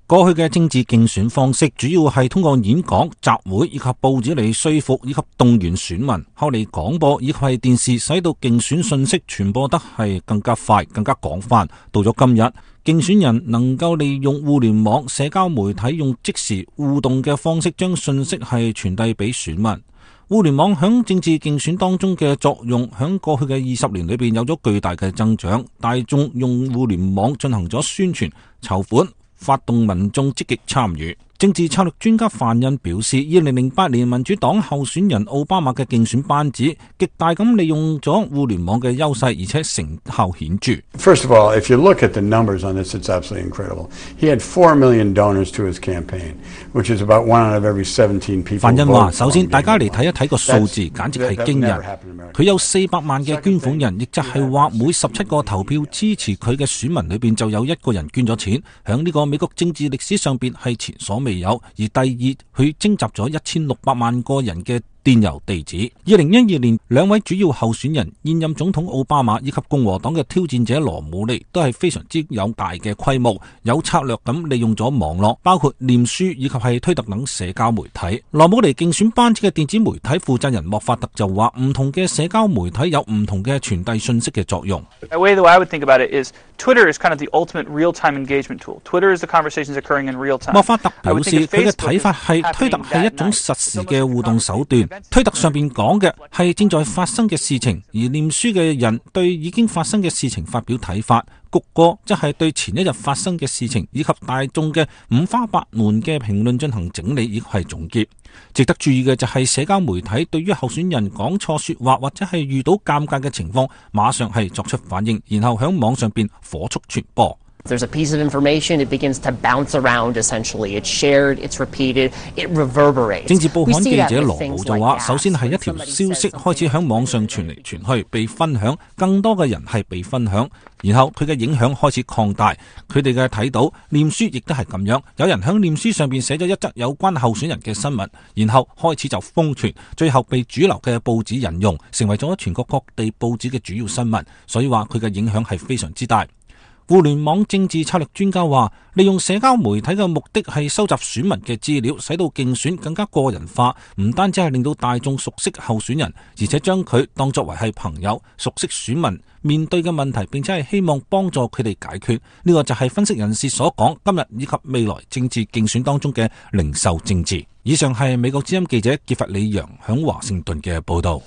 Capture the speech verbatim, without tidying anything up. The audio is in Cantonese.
過去嘅政治競選方式主要係通過演講、集會以及報紙嚟說服以及動員選民，後嚟廣播以及係電視使到競選信息傳播得係更加快、更加廣泛。到咗今日，競選人能夠利用互聯網、社交媒體用即時互動嘅方式將信息係傳遞俾選民。互聯網響政治競選當中嘅作用，響過去嘅二十年裏邊有咗巨大嘅增長。大眾用互聯網進行咗宣傳、籌款、發動民眾積極參與。政治策略專家范恩表示，二零零八年民主黨候選人奧巴馬嘅競選班子極大咁利用咗互聯網嘅優勢，而且成效顯著。First of all, if you look at the numbers on this, it's absolutely incredible. He had four million donors to his campaign, which is about one out of every seventeen people. 范恩話：首先，大家嚟睇一睇個數字，簡直係驚人。佢有四百萬嘅捐款人，亦就係話每十七個投票支持佢嘅選民裏邊就有一個人捐咗錢。響呢個美國政治歷史上邊係前所未有。而第二，佢徵集咗一千六百萬個人嘅電郵地址。二零一二年，兩位主要候選人，現任總統奧巴馬以及共和黨嘅挑戰者羅姆尼，都係非常之有大嘅規模，有策略咁利用咗網絡，包括臉書以及係推特等社交媒體。羅姆尼競選班子嘅電子媒體負責人莫法特就話，唔同嘅社交媒體有唔同嘅傳遞信息嘅作用。The way that I would think about it is Twitter is kind of the ultimate real-time engagement tool. Twitter is the conversations occurring in real time. 莫法特表示，佢嘅睇法係推特係一種實時嘅互動手段。推特上邊講嘅係正在發生嘅事情，而臉書嘅人對已經發生嘅事情發表睇法。谷歌即係對前一日發生嘅事情以及大眾嘅五花八門嘅評論進行整理以及係總結。值得注意嘅就係社交媒體對於候選人講錯說話或者係遇到尷尬嘅情況，馬上係作出反應，然後響網上邊火速傳播。There's a piece of information, it begins to bounce around essentially. It's shared, it's repeated, it reverberates. 政治報刊記者羅姆就話，首先係一條消息開始響網上傳嚟傳去，被分享，更多嘅人係被分享，然後佢嘅影響開始擴大。佢哋嘅睇到臉書亦都係咁樣，有人響臉書上邊寫咗一則有關候選人嘅新聞，然後開始就瘋傳，最後被主流嘅報紙引用，成為咗全國各地報紙嘅主要新聞。所以話佢嘅影響係非常之大。互聯網政治策略專家話，利用社交媒體嘅目的係收集選民嘅資料，使到競選更加個人化，唔單止係令到大眾熟悉候選人，而且將佢當作為係朋友，熟悉選民面對嘅問題，並且係希望幫助佢哋解決。呢個就係分析人士所講今日以及未來政治競選當中嘅零售政治。以上係美國之音記者傑弗里楊響華盛頓嘅報道。